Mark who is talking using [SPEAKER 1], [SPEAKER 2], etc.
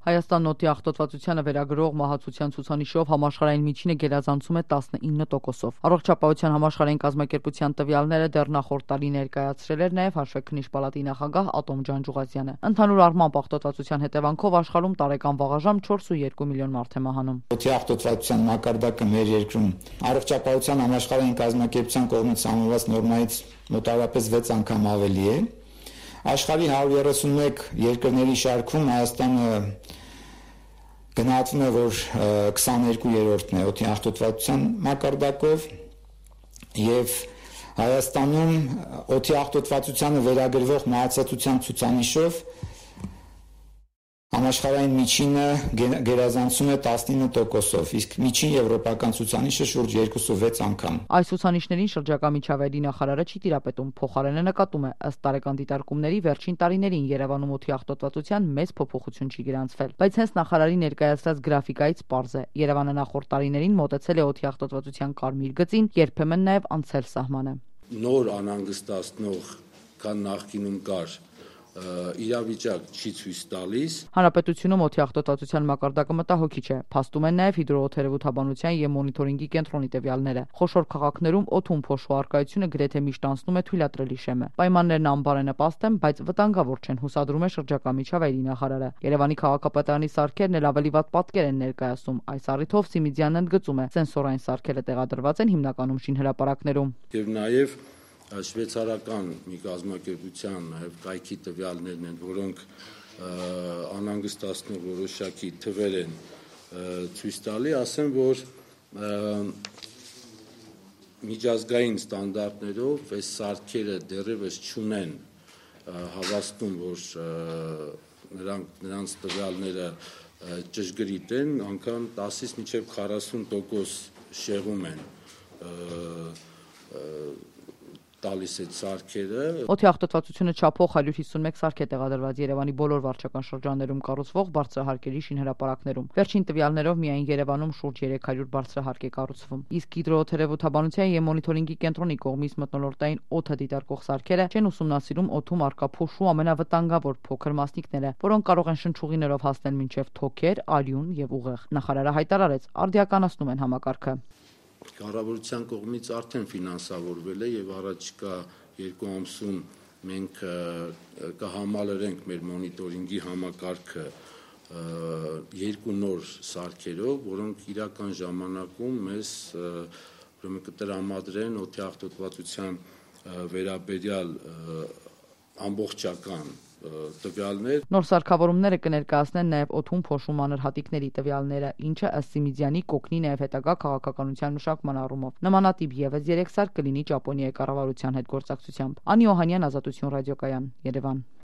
[SPEAKER 1] Հայաստանն օդի աղտոտվածությանը վերագրող մահացության ցուցանիշով համաշխարհային միջինը գերազանցում է 19%-ով։ Առողջապահության համաշխարհային կազմակերպության տվյալները դեռ նախորդ տարի ներկայացրել էր նաև Հաշվեկնիչ պալատի նախագահ Ատոմ Ջանջուղազյանը։ Ընդհանուր առմամբ աղտոտվածության հետևանքով աշխարհում տարեկան վաղաժամ 4.2 միլիոն մարդ է մահանում։
[SPEAKER 2] Օդի աղտոտվածության մակարդակը մեր երկրում Առողջապահության համաշխարհային կազմակերպության կողմից համոզված նորմայից մոտավորապես 6 անգամ ավելի է։ Աշխարհի 131 երկրների շարքում Հայաստանը գնահատվում է, որ 22-րդն է օդի աղտոտվածության մակարդակով եւ Հայաստանում օդի աղտոտվածությանը վերագրվող մահացածության ցուցանիշով համաշխարհային միջինը գերազանցում է 19%-ով, իսկ միջին եվրոպական ցուցանիշը շուրջ 2.6 անգամ։
[SPEAKER 1] Այս ցուցանիշներին շրջակա միջավայրի նախարարը չի տիրապետում, փոխարենը նկատում է, ըստ տարեկան դիտարկումների վերջին տարիներին Երևանում օդի աղտոտվածության մեծ փոփոխություն չի գրանցվել, բայց հենց նախարարի ներկայացրած գրաֆիկայից պարզ է, Երևանը նախորդ տարիներին մոտեցել է օդի աղտոտվածության կարմիր գծին, երբեմն նաև անցել սահմանը։
[SPEAKER 3] Նոր անհանգստացնող, քան նախկինում կար իրավիճակ չի ցույց տալիս։
[SPEAKER 1] Հանրապետությունում օդի աղտոտվածության մակարդակը մտահոգիչ է, փաստում են նաև հիդրոօդերևութաբանության և մոնիտորինգի կենտրոնի տվյալները։ Խոշոր քաղաքներում օդում փոշու առկայությունը գրեթե միշտ անցնում է թույլատրելի շեմը։ Պայմաններն անբարենպաստ են, բայց վտանգավոր չեն, հուսադրում է շրջակա միջավայրի նախարարը։ Երևանի քաղաքապետարանի սարքերն էլ ավելի վատ պատկեր են ներկայացնում։ Այս առիթով Սիմիձյանն ընդգծում է, սենսորային սարքերը տեղադրված են հիմնականում շինհրապարակներում։
[SPEAKER 3] Եվ նաև շվեյցարական մի կազմակերպության նաև կայքի տվյալներն են, որոնք անհանգստացնող որոշակի թվեր են ցույց տալի, ասեմ, որ միջազգային ստանդարտներով այս սարքերը դեռևս չունեն հավաստում, որ նրանց տվյալները ճշգրիտ են, անգամ 10-ից մինչև 40% շեղում են տալիս այդ սարքերը։
[SPEAKER 1] Օդի աղտոտվածությունը չափող 151 սարք է տեղադրված Երևանի բոլոր վարչական շրջաններում կառուցվող բարձրահարկերի շինհրապարակներում։ Վերջին տվյալներով միայն Երևանում շուրջ 300 բարձրահարկ է կառուցվում։ Իսկ հիդրոօդերևութաբանության և մոնիտորինգի կենտրոնի կողմից մթնոլորտային օդը դիտարկող սարքերը չեն ուսումնասիրում օդում առկա փոշու ամենավտանգավոր փոքր մասնիկները, որոնք կարող են շնչուղիներով հասնել մինչև թոքեր, արյուն եւ ուղեղ։ Նախարարը հայտարարեց, արդիականացնում են համակարգը։
[SPEAKER 3] Կառավարության կողմից արդեն ֆինանսավորվել է եւ առաջիկա 2 ամսում մենք կհամալրենք մեր մոնիտորինգի համակարգը 2 նոր սարքերով, որոնք իրական ժամանակում մեզ կտրամադրեն օդի աղտոտվածության վերաբերյալ ամբողջական տվյալներ։
[SPEAKER 1] Նոր սարքավորումները կներկայացնեն նաև օդում փոշու մանր հատիկների տվյալները, ինչը ըստ Սիմիձյանի կօգնի նաև հետագա քաղաքականության մշակման առումով։ Նմանատիպ ևս 3 սարք կլինի Ճապոնիայի կառավարության հետ գործակցությամբ։ Անի Օհանյան, Ազատություն ռադիոկայան, Երևան։